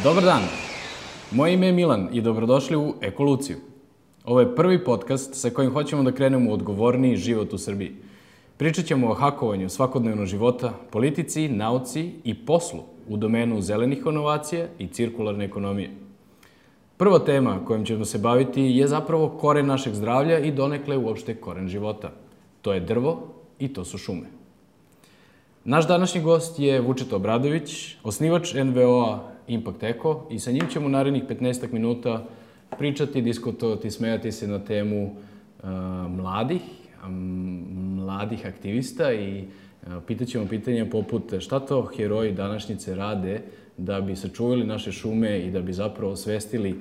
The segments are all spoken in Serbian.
Dobar dan, moje ime je Milan i dobrodošli u Ekoluciju. Ovo je prvi podcast sa kojim hoćemo da krenemo u odgovorniji život u Srbiji. Pričat ćemo o hakovanju svakodnevnog života, politici, nauci i poslu u domenu zelenih inovacija i cirkularne ekonomije. Prva tema kojom ćemo se baviti je zapravo koren našeg zdravlja i donekle uopšte koren života. To je drvo i to su šume. Naš današnji gost je Vučeta Obradović, osnivač NVO-a Impact Eco i sa njim ćemo u narednih 15 minuta pričati, diskutovati, smejati se na temu mladih aktivista i pitat ćemo pitanja poput šta to heroji današnjice rade da bi sačuvali naše šume i da bi zapravo osvestili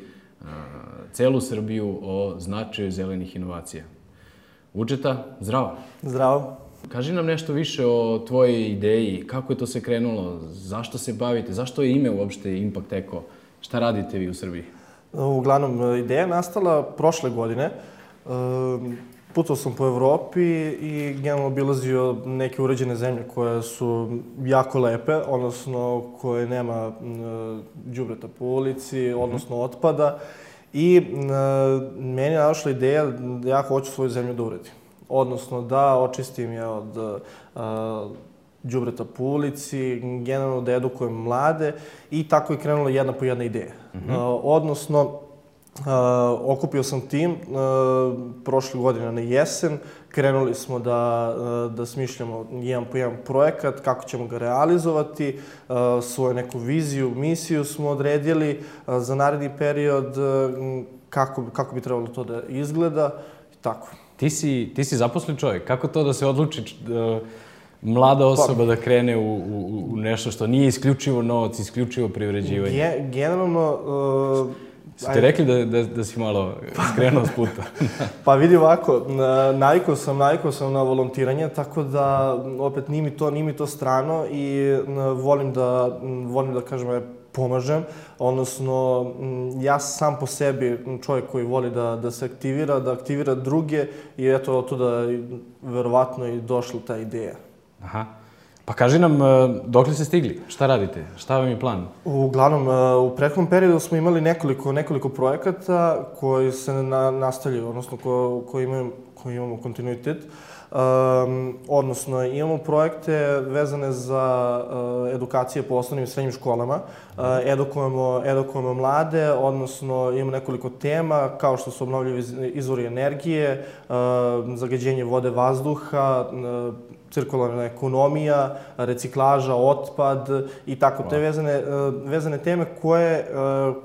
celu Srbiju o značaju zelenih inovacija. Vučeta, zdravo. Zdravo. Kaži nam nešto više o tvojoj ideji, kako je to se krenulo, zašto se bavite, zašto je ime uopšte Impact Eco, šta radite vi u Srbiji? Uglavnom, ideja je nastala prošle godine. Putovao sam po Evropi i generalno obilazio neke uređene zemlje koje su jako lepe, odnosno koje nema đubreta po ulici, odnosno otpada. I meni je došla ideja da ja hoću svoju zemlju da uredim. Odnosno da očistim je od đubreta po ulici, generalno da edukujem mlade i tako je krenula jedna po jedna ideja. Odnosno, okupio sam tim prošle godine na jesen, krenuli smo da smišljamo jedan po jedan projekat, kako ćemo ga realizovati, svoju neku viziju, misiju smo odredili za naredni period, kako bi trebalo to da izgleda i tako. Ti si zaposlen čovjek. Kako to da se odluči mlada osoba da krene u nešto što nije isključivo novac, isključivo privređivanje? Generalno... Ste rekli da si malo skrenuo s puta? Pa vidi ovako, navikao sam na volontiranje, tako da opet nije mi to strano i volim da kažem pomažem, odnosno ja sam po sebi čovjek koji voli da se aktivira, da aktivira druge i eto od tuda verovatno i došla ta ideja. Aha. Pa kaži nam, dokle ste stigli? Šta radite? Šta vam je plan? Uglavnom, u prethodnom periodu smo imali nekoliko projekata koji se nastavljaju, odnosno koji imamo kontinuitet. Odnosno, imamo projekte vezane za edukacije po osnovnim i srednjim školama. Edukujemo mlade, odnosno imamo nekoliko tema kao što su obnovljivi izvori energije, zagađenje vode, vazduha, cirkularna ekonomija, reciklaža, otpad i tako. Te vezane teme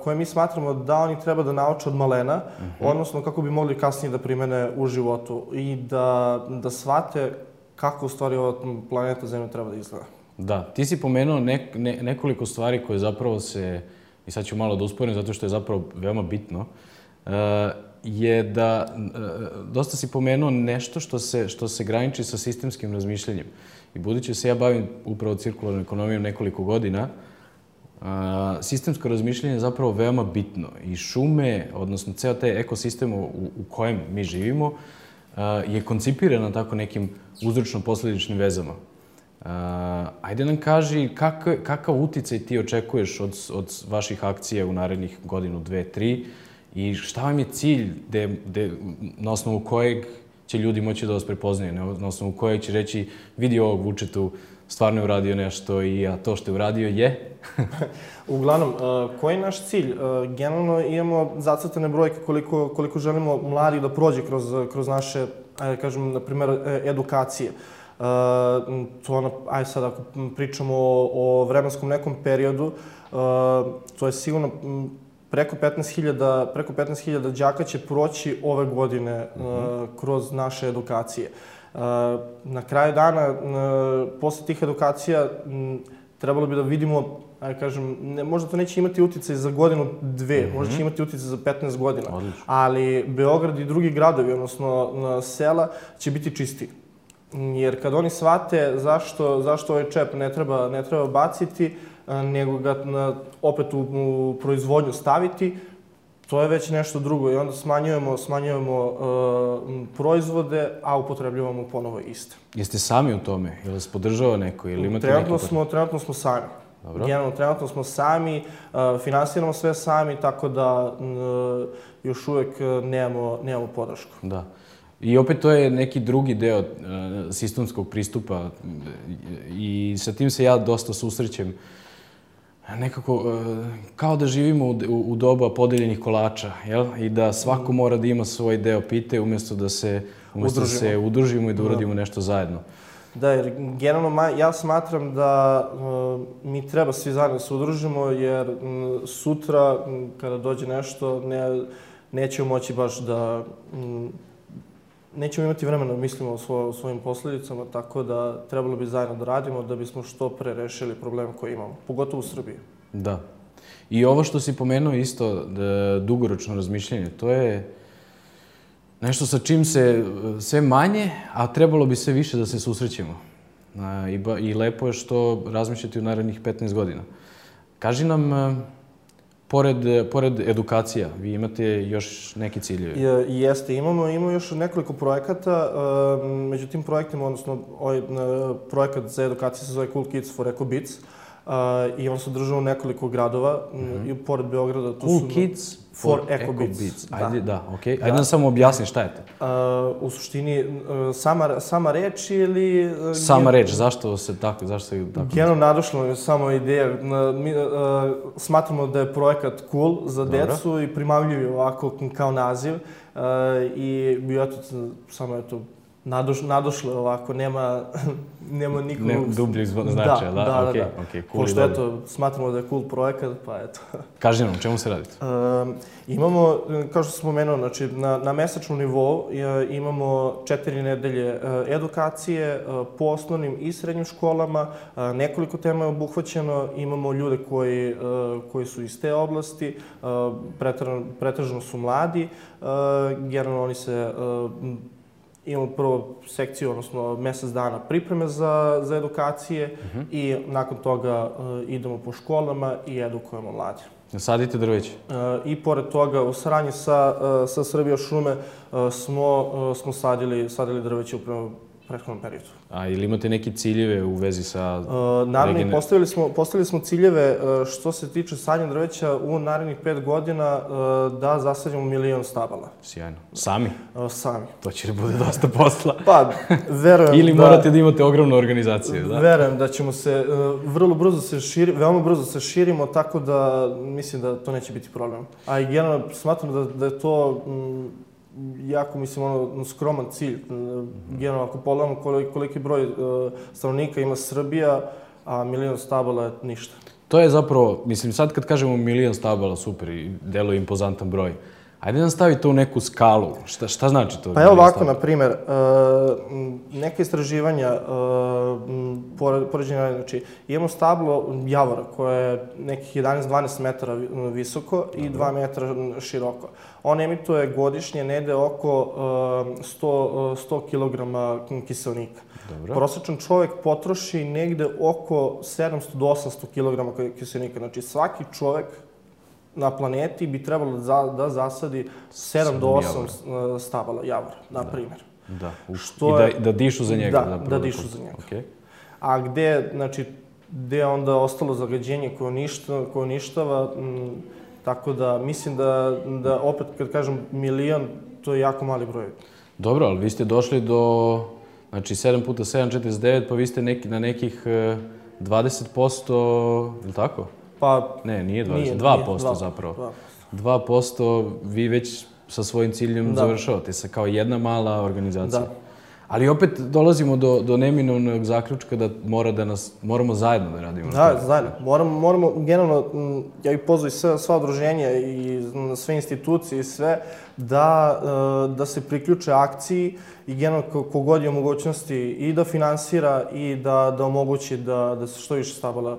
koje mi smatramo da oni treba da nauče od malena, odnosno kako bi mogli kasnije da primene u životu i da shvate kako u stvari ova planeta Zemlja treba da izgleda. Da, ti si pomenuo nekoliko stvari koje zapravo se, i sad ću malo da usporim zato što je zapravo veoma bitno, je da dosta si pomenuo nešto što se graniči sa sistemskim razmišljanjem. I budući se ja bavim upravo cirkularnom ekonomijom nekoliko godina, sistemsko razmišljanje je zapravo veoma bitno. I šume, odnosno ceo taj ekosistem u kojem mi živimo, je koncipiran na tako nekim uzročno-posledičnim vezama. Ajde nam kaži kakav uticaj ti očekuješ od vaših akcija u narednih godinu, 2, 3 i šta vam je cilj na osnovu kojeg će ljudi moći da vas prepoznaju, na osnovu kojeg će reći vidi ovog Vučetu, stvarno je uradio nešto a to što je uradio je? Uglavnom, koji je naš cilj? Generalno imamo zacrtane brojke koliko želimo mladih da prođe kroz naše, ajde kažem, na primjer, edukacije. Ajde sad ako pričamo o vremenskom nekom periodu, to je sigurno preko 15.000 đaka će proći ove godine kroz naše edukacije. Na kraju dana, posle tih edukacija, trebalo bi da vidimo, kažem, možda to neće imati uticaj za godinu, 2, možda će imati uticaj za 15 godina, ali Beograd i drugi gradovi, odnosno sela, će biti čistiji. Jer kad oni shvate zašto ovaj čep ne treba baciti, nego ga opet u proizvodnju staviti, to je već nešto drugo i onda smanjujemo proizvode, a upotrebljavamo ponovo iste. Jeste sami u tome? Ili vas podržava neko? Ili imate neki... Trenutno smo sami. Generalno, trenutno smo sami, finansiramo sve sami, tako da još uvek nemamo podršku. Da. I opet to je neki drugi deo sistemskog pristupa i sa tim se ja dosta susrećem. Nekako, kao da živimo u doba podeljenih kolača, jel? I da svako mora da ima svoj deo pite umjesto da se udružimo i da uradimo nešto zajedno. Da, jer generalno ja smatram da mi treba svi zajedno se udružimo, jer sutra kada dođe nešto nećemo moći baš da... Nećemo imati vremena da mislimo o svojim posljedicama, tako da trebalo bi zajedno da radimo da bismo što pre rešili problem koji imamo, pogotovo u Srbiji. Da. I ovo što si pomenuo isto, dugoročno razmišljanje, to je nešto sa čim se sve manje, a trebalo bi sve više da se susrećemo. I lepo je što razmišljate u narednih 15 godina. Kaži nam, pored edukacija, vi imate još neki ciljevi? Jeste, imamo još nekoliko projekata. Među tim projektima, odnosno ovaj projekat za edukaciju se zove Cool Kids for Eco Beats. I on se održava u nekoliko gradova i pored Beograda. Cool Kids for Eco Beats. Ajde, da, okej. Ajde nam samo objasni šta je to. U suštini, sama reč ili... Sama reč, zašto se tako? Generalno nadošla je samo ideja. Smatramo da je projekat cool za decu i primamljiv je ovako kao naziv. I eto, samo je to nadošlo ovako, nema nikog... Dubljeg značaja, da? Da. Pošto eto, smatramo da je cool projekat, pa eto. Kaži nam, o čemu se radite? Imamo, kao što sam spomenuo, znači na mesečnom nivou imamo 4 nedelje edukacije po osnovnim i srednjim školama. Nekoliko tema je obuhvaćeno, imamo ljude koji su iz te oblasti, pretežno su mladi, generalno oni se... Imamo prvo sekciju, odnosno mesec dana pripreme za edukacije i nakon toga idemo po školama i edukujemo mlade. Sadite drveće? I pored toga, u saradnji sa Srbija šume smo sadili drveće u prethodnom periodu. A ili imate neke ciljeve u vezi sa... Naravno, postavili smo ciljeve što se tiče sadnja drveća u narednih 5 godina da zasadimo 1.000.000 stabala. Sjajno. Sami? Sami. To će da bude dosta posla. Pa, verujem da... Ili morate da imate ogromnu organizaciju, da? Verujem da ćemo se veoma brzo se širimo, tako da mislim da to neće biti problem. A i generalno smatram da je to jako, mislim, skroman cilj. Generalno, ako pogledamo koliki broj stanovnika ima Srbija, a 1.000.000 stabala je ništa. To je zapravo, mislim, sad kad kažemo 1.000.000 stabala, super, i deluje impozantan broj. Ajde nam stavi to u neku skalu. Šta znači to? Pa evo ovako, na primjer, neke istraživanja poređenja, znači imamo stablo javora koje je nekih 11-12 metara visoko i 2 metra široko. On emituje godišnje negde oko 100 kilograma kiseonika. Prosječan čovjek potroši negde oko 700 do 800 kilograma kiseonika. Znači svaki čovjek na planeti bi trebalo da zasadi 7 do 8 stabala javora, na primjer. Da, i da dišu za njega. Da dišu za njega. A gde je onda ostalo zagađenje koje uništava, tako da mislim da opet kad kažem 1.000.000, to je jako mali broj. Dobro, ali vi ste došli do, znači 7 puta 7, 49, pa vi ste na nekih 20%, ili tako? Pa... Ne, nije 20, 2% zapravo. 2% vi već sa svojim ciljem završavate se kao jedna mala organizacija. Ali opet dolazimo do neminovnog zaključka da moramo zajedno da radimo. Da, zajedno. Moramo, generalno, ja bih pozvao i sva udruženja i sve institucije i sve, da se priključe akciji i generalno kogod je u mogućnosti i da finansira i da omogući da se što više stabala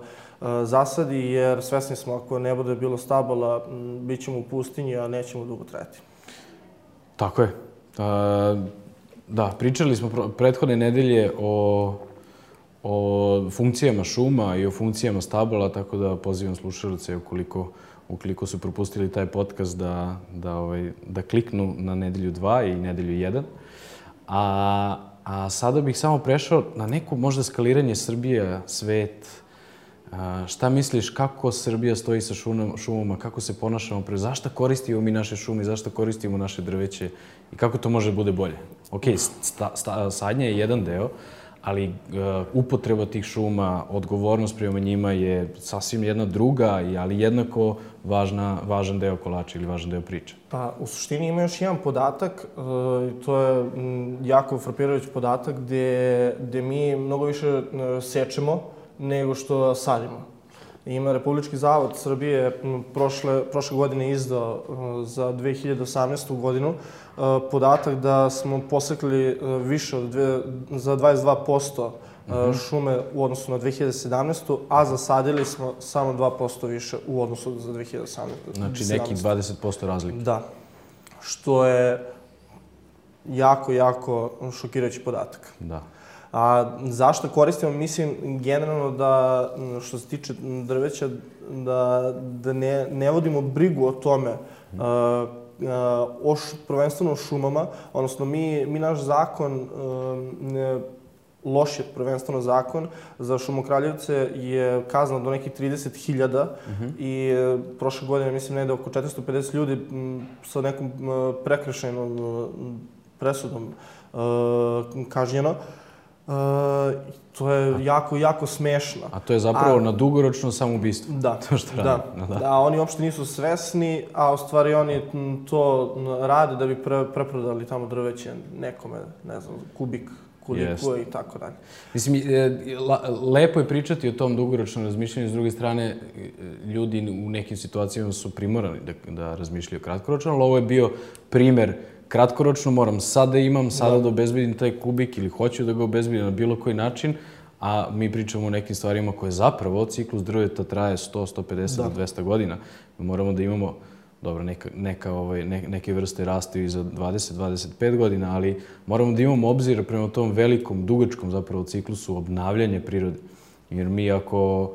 zasadi, jer svesni smo ako ne bude bilo stabala, bit ćemo u pustinji, a nećemo dugo trajati. Tako je. Da, pričali smo prethodne nedelje o funkcijama šuma i o funkcijama stabala, tako da pozivam slušalce ukoliko su propustili taj podcast da kliknu na nedelju 2 i nedelju 1. A sada bih samo prešao na neko možda skaliranje Srbije, svet, Šta misliš kako Srbija stoji sa šumama, kako se ponašamo zašto koristimo mi naše šume, zašto koristimo naše drveće i kako to može da bude bolje? Ok, sadnja je jedan deo, ali upotreba tih šuma, odgovornost prema njima je sasvim jedna druga, ali jednako važan deo kolača ili važan deo priče. Pa, u suštini ima još jedan podatak, to je jako frapirajući podatak, gde mi mnogo više sečemo nego što sadimo. Ima Republički zavod Srbije prošle godine izdao za 2018. godinu podatak da smo posekli više za 22% šume u odnosu na 2017. a zasadili smo samo 2% više u odnosu za 2018. Znači nekih 20% razlike. Da. Što je jako, jako šokirajući podatak. Da. A zašto koristimo? Mislim, generalno da, što se tiče drveća, da ne vodimo brigu o tome, prvenstveno o šumama, odnosno mi naš zakon, loš je prvenstveno zakon, za šumokraljevce je kazna do nekih 30.000 i prošle godine, mislim, negde oko 450 ljudi sa nekom prekršajnom presudom kažnjeno. To je jako, jako smešno. A to je zapravo na dugoročno samoubistvo. Da, da. Oni uopšte nisu svesni, a u stvari oni to rade da bi preprodali tamo drveće nekome, ne znam, kubik, koliko i tako dalje. Mislim, lepo je pričati o tom dugoročnom razmišljanju, s druge strane, ljudi u nekim situacijama su primorani da razmišljaju kratkoročno, ali ovo je bio primer kratkoročno, moram sada imam, sada da obezbedim taj kubik ili hoću da ga obezbedim na bilo koji način, a mi pričamo o nekim stvarima koje zapravo ciklus drveta traje 100, 150 do 200 godina. Moramo da imamo, dobro, neke vrste raste i za 20-25 godina, ali moramo da imamo obzir prema tom velikom, dugačkom zapravo ciklusu obnavljanja prirode. Jer mi ako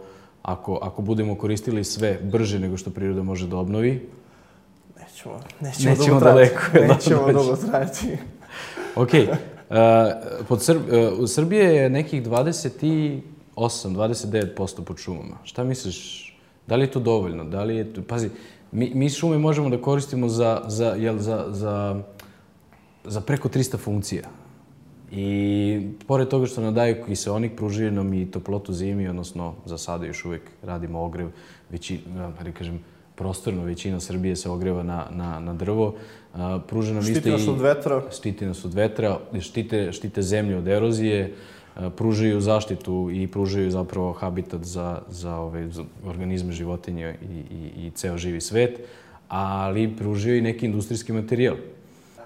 budemo koristili sve brže nego što priroda može da obnovi, nećemo daleko. Nećemo dugo trajati. Ok. U Srbiji je nekih 29% pod šumama. Šta misliš? Da li je to dovoljno? Pazi, mi šume možemo da koristimo za preko 300 funkcija. I pored toga što nam daju kiseonik, pružaju nam i toplotu zimi, odnosno za sada još uvijek radimo ogrev, prostorno većina Srbije se ogreva na drvo. Štiti nas od vetra. Štiti nas od vetra, štite zemlju od erozije, pružaju zaštitu i pružaju zapravo habitat za organizme, životinje i ceo živi svet, ali pružaju i neki industrijski materijal.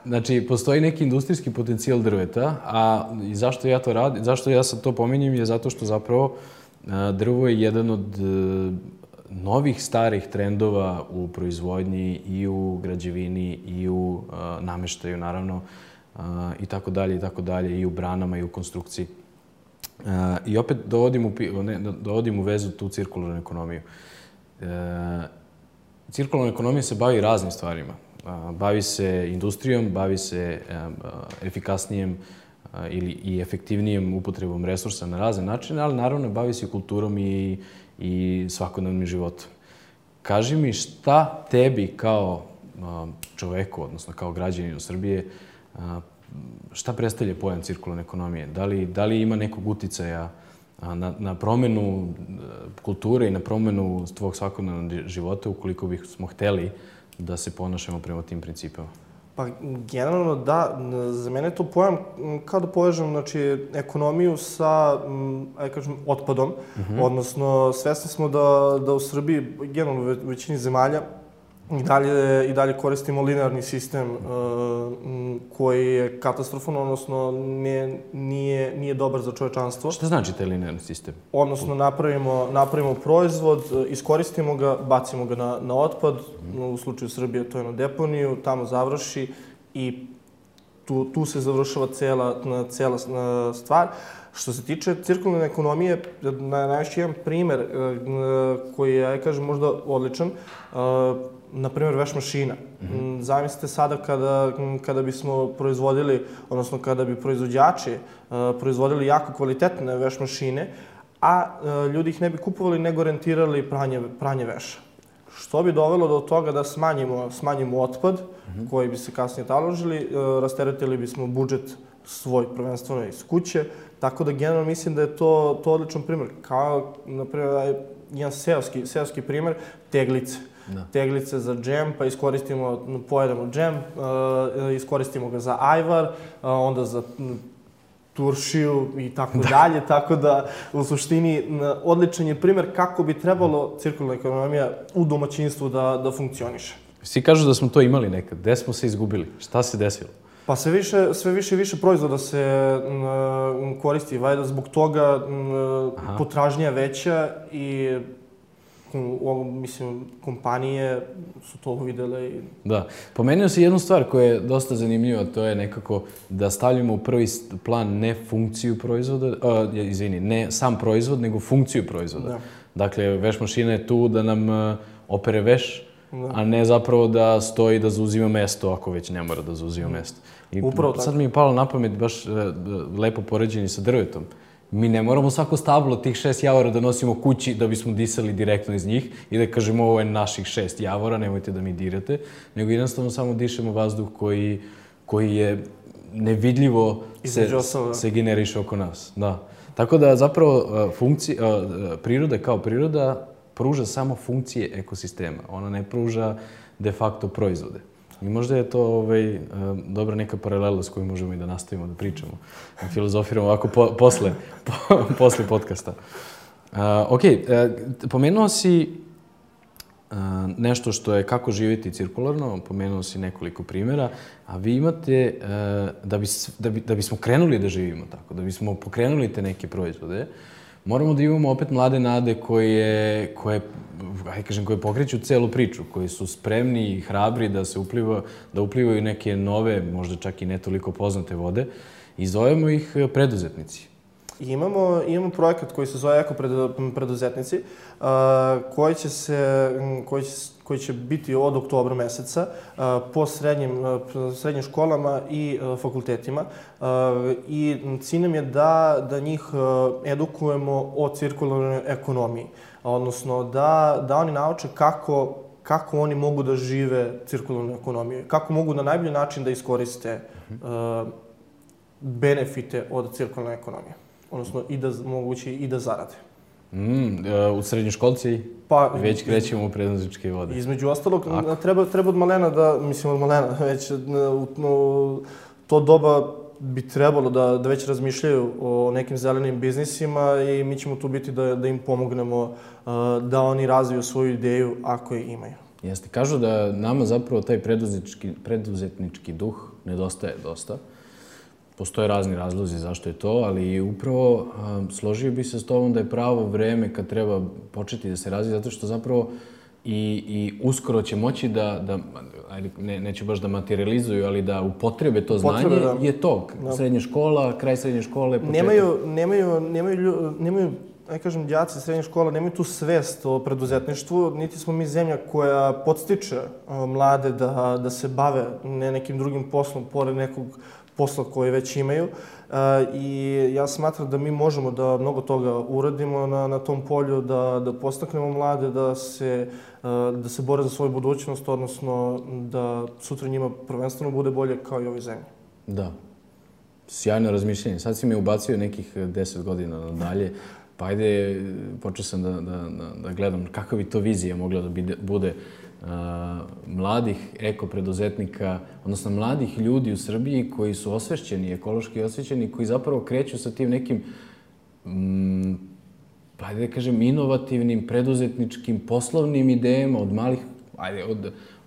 Znači, postoji neki industrijski potencijal drveta, a zašto ja to radim, zašto ja sad to pominjem je zato što zapravo drvo je jedan od novih starih trendova u proizvodnji i u građevini i u nameštaju, naravno, i tako dalje, i u branama i u konstrukciji. I opet dovodim u vezu tu cirkularnu ekonomiju. Cirkularna ekonomija se bavi raznim stvarima. Bavi se industrijom, bavi se efikasnijem i efektivnijem upotrebom resursa na razne načine, ali naravno bavi se kulturom i svakodnevnim životom. Kaži mi šta tebi kao čoveku, odnosno kao građaninu Srbije, šta predstavlja pojam cirkularne ekonomije? Da li ima nekog uticaja na promenu kulture i na promenu tvog svakodnevnog života ukoliko bismo hteli da se ponašamo prema tim principima? Pa, generalno da. Za mene je to pojam kao da povežem ekonomiju sa, otpadom. Odnosno, svesni smo da u Srbiji, generalno u većini zemalja, i dalje koristimo linearni sistem koji je katastrofalan, odnosno nije dobar za čovečanstvo. Šta znači taj linearni sistem? Odnosno, napravimo proizvod, iskoristimo ga, bacimo ga na otpad, u slučaju Srbije to je na deponiju, tamo završi i tu se završava cela stvar. Što se tiče cirkularne ekonomije, najveći jedan primer koji je, ja kažem, možda odličan, na primjer, veš mašina. Zamislite sada kada bismo proizvodili, odnosno kada bi proizvođači proizvodili jako kvalitetne veš mašine, a ljudi ih ne bi kupovali nego rentirali pranje veša. Što bi dovelo do toga da smanjimo otpad koji bi se kasnije taložili, rasteretili bismo budžet svoj prvenstveno iz kuće, tako da generalno mislim da je to odličan primjer. Kao, na primjer, jedan seoski primjer, teglice. Teglice za džem, pa pojedemo džem, iskoristimo ga za ajvar, onda za turšiju i tako dalje, tako da u suštini odličan je primjer kako bi trebalo cirkularna ekonomija u domaćinstvu da funkcioniše. Svi kažu da smo to imali nekad. Gde smo se izgubili? Šta se desilo? Pa sve više proizvoda se koristi, valjda zbog toga potražnja veća i mislim, kompanije su to uvidele i... Da. Pomenuo si jednu stvar koja je dosta zanimljiva, to je nekako da stavljamo u prvi plan ne funkciju proizvoda, ne sam proizvod, nego funkciju proizvoda. Dakle, veš mašina je tu da nam opere veš, a ne zapravo da stoji da zauzima mesto, ako već ne mora da zauzima mesto. I sad mi je palo na pamet baš lepo poređenje sa drvetom. Mi ne moramo svako stablo tih 6 javora da nosimo kući da bismo disali direktno iz njih i da kažemo ovo je naših 6 javora, nemojte da mi dirate, nego jednostavno samo dišemo vazduh koji je nevidljivo se generiše oko nas. Da. Tako da zapravo priroda kao priroda pruža samo funkcije ekosistema. Ona ne pruža de facto proizvode. I možda je to dobra neka paralela s kojom možemo i da nastavimo da pričamo. Filozofiramo ovako posle podcasta. Ok, pomenuo si nešto što je kako živjeti cirkularno, pomenuo si nekoliko primjera, a vi imate, da bismo krenuli da živimo tako, da bismo pokrenuli te neke proizvode, moramo da imamo opet mlade nade koje pokreću celu priču, koji su spremni i hrabri da uplivaju neke nove, možda čak i ne toliko poznate vode i zovemo ih preduzetnici. Imamo projekat koji se zove Eko preduzetnici, koji će biti od oktobra meseca po srednjim školama i fakultetima. I cilj nam je da njih edukujemo o cirkularnoj ekonomiji, odnosno da oni nauče kako oni mogu da žive cirkularnu ekonomiju, kako mogu na najbolji način da iskoriste benefite od cirkularne ekonomije, odnosno moguće i da zarade. U srednjoškolci već krećemo u preduzetničke vode. Između ostalog, treba od malena već to doba bi trebalo da već razmišljaju o nekim zelenim biznisima i mi ćemo tu biti da im pomognemo da oni razviju svoju ideju ako je imaju. Jeste. Kažu da nama zapravo taj preduzetnički duh nedostaje dosta. Postoje razni razlozi zašto je to, ali upravo složio bih se s tobom da je pravo vreme kad treba početi da se razvije, zato što zapravo i uskoro će moći neću baš da materializuju, ali da upotrebe to znanje, je to. Srednja škola, kraj srednje škole, početak. Nemaju, kažem, đaci srednje škola, nemaju tu svest o preduzetništvu, niti smo mi zemlja koja podstiče mlade da se bave nekim drugim poslom, pored nekog posla koje već imaju i ja smatram da mi možemo da mnogo toga uradimo na tom polju, da podstaknemo mlade, da se bore za svoju budućnost, odnosno da sutra njima prvenstveno bude bolje kao i ovoj zemlji. Da. Sjajno razmišljanje. Sad si mi ubacio nekih 10 godina nadalje, pa ajde, počeo sam da gledam kakva bi to vizija mogla da bude mladih eko-preduzetnika, odnosno mladih ljudi u Srbiji koji su osvešćeni, ekološki osvešćeni, koji zapravo kreću sa tim nekim, ajde da kažem, inovativnim, preduzetničkim, poslovnim idejama od malih,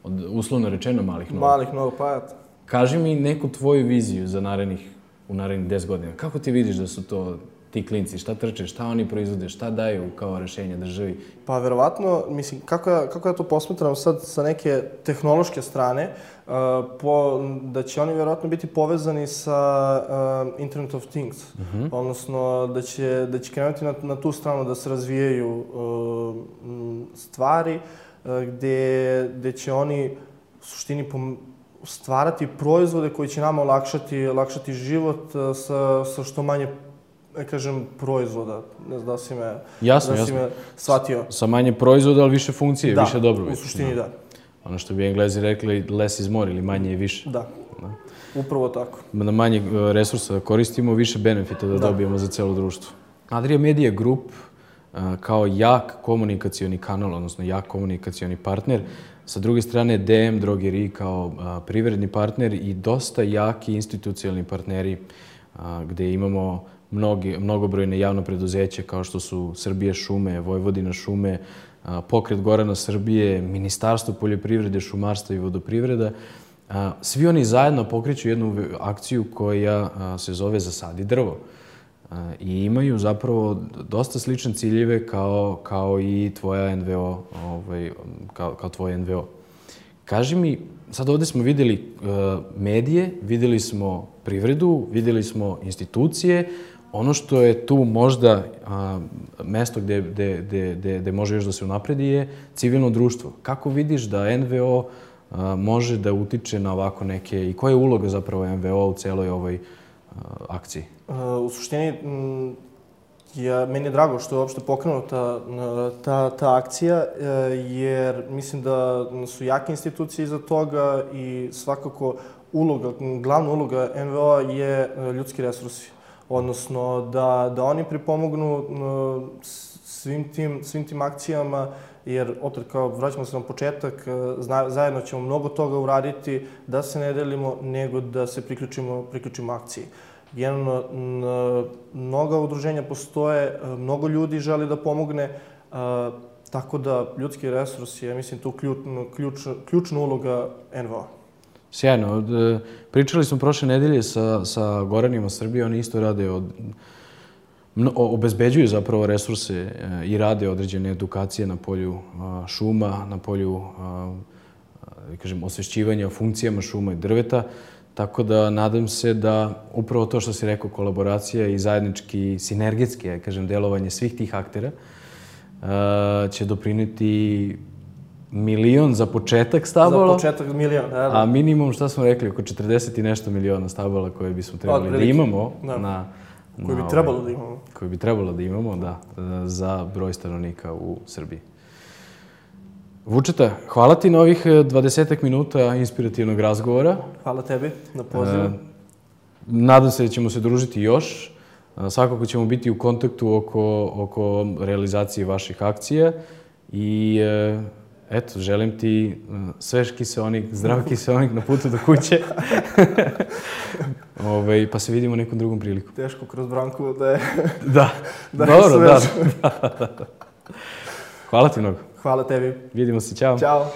od uslovno rečeno malih nogu. Malih nogu, pa. Kaži mi neku tvoju viziju za u narednih 10 godina. Kako ti vidiš da su to ti klinci, šta trče, šta oni proizvode, šta daju kao rešenje državi? Pa verovatno, mislim, kako ja to posmatram sad sa neke tehnološke strane, da će oni verovatno biti povezani sa Internet of Things, odnosno da će krenuti na tu stranu da se razvijaju stvari gde će oni u suštini stvarati proizvode koji će nama olakšati život sa što manje kažem, proizvoda. Ne znam da si me, Jasno, da si me shvatio. Sa manje proizvoda, ali više funkcije, više dobrobiti. Da, u suštini da. Ono što bi Englezi rekli, less is more ili manje je više. Da, upravo tako. Da manje resursa koristimo, više benefita da dobijemo za celo društvo. Adria Media Group kao jak komunikacioni kanal, odnosno jak komunikacioni partner, sa druge strane DM Drogerie kao privredni partner i dosta jaki institucionalni partneri gde imamo mnogobrojne javno preduzeće kao što su Srbije šume, Vojvodina šume, Pokret Gorana Srbije, Ministarstvo poljoprivrede, šumarstva i vodoprivreda. Svi oni zajedno pokreću jednu akciju koja se zove Zasadi drvo. I imaju zapravo dosta slične ciljeve kao i tvoja NVO, kao tvoj NVO. Kaži mi, sad ovde smo videli medije, videli smo privredu, videli smo institucije. Ono što je tu možda mesto gde može još da se unapredi je civilno društvo. Kako vidiš da NVO može da utiče na ovako neke i koja je uloga zapravo NVO u celoj ovoj akciji? U suštini, meni je drago što je uopšte pokrenuta ta akcija, jer mislim da su jake institucije iza toga i svakako glavna uloga NVO je ljudski resursi. Odnosno, da oni pripomognu svim tim akcijama, jer opet kao vraćamo se na početak, zajedno ćemo mnogo toga uraditi, da se ne delimo, nego da se priključimo akciji. Generalno, mnoga udruženja postoje, mnogo ljudi želi da pomogne, tako da ljudski resurs je, mislim, tu ključna uloga NVO. Sjajno. Pričali smo prošle nedelje sa Goranima Srbije, oni isto rade obezbeđuju zapravo resurse i rade određene edukacije na polju šuma, na polju, kažem, osvešćivanja o funkcijama šuma i drveta. Tako da nadam se da upravo to što si rekao, kolaboracija i zajednički, sinergetski, kažem, delovanje svih tih aktera će doprineti 1.000.000 za početak stabala. Za početak 1.000.000, da. A minimum, šta smo rekli, oko 40 i nešto miliona stabala koje bismo trebali da imamo koje bi trebalo da imamo. Koje bi trebalo da imamo, da, za broj stanovnika u Srbiji. Vučeta, hvala ti na ovih 20 minuta inspirativnog razgovora. Hvala tebi na pozivu. Nadam se da ćemo se družiti još. Svakako ćemo biti u kontaktu oko realizacije vaših akcija i eto, želim ti svež kiseonik, zdrav kiseonik na putu do kuće. Pa se vidimo nekom drugom priliku. Teško kroz branku da je... Da, dobro, da. Hvala ti mnogo. Hvala tebi. Vidimo se, ćao. Ćao.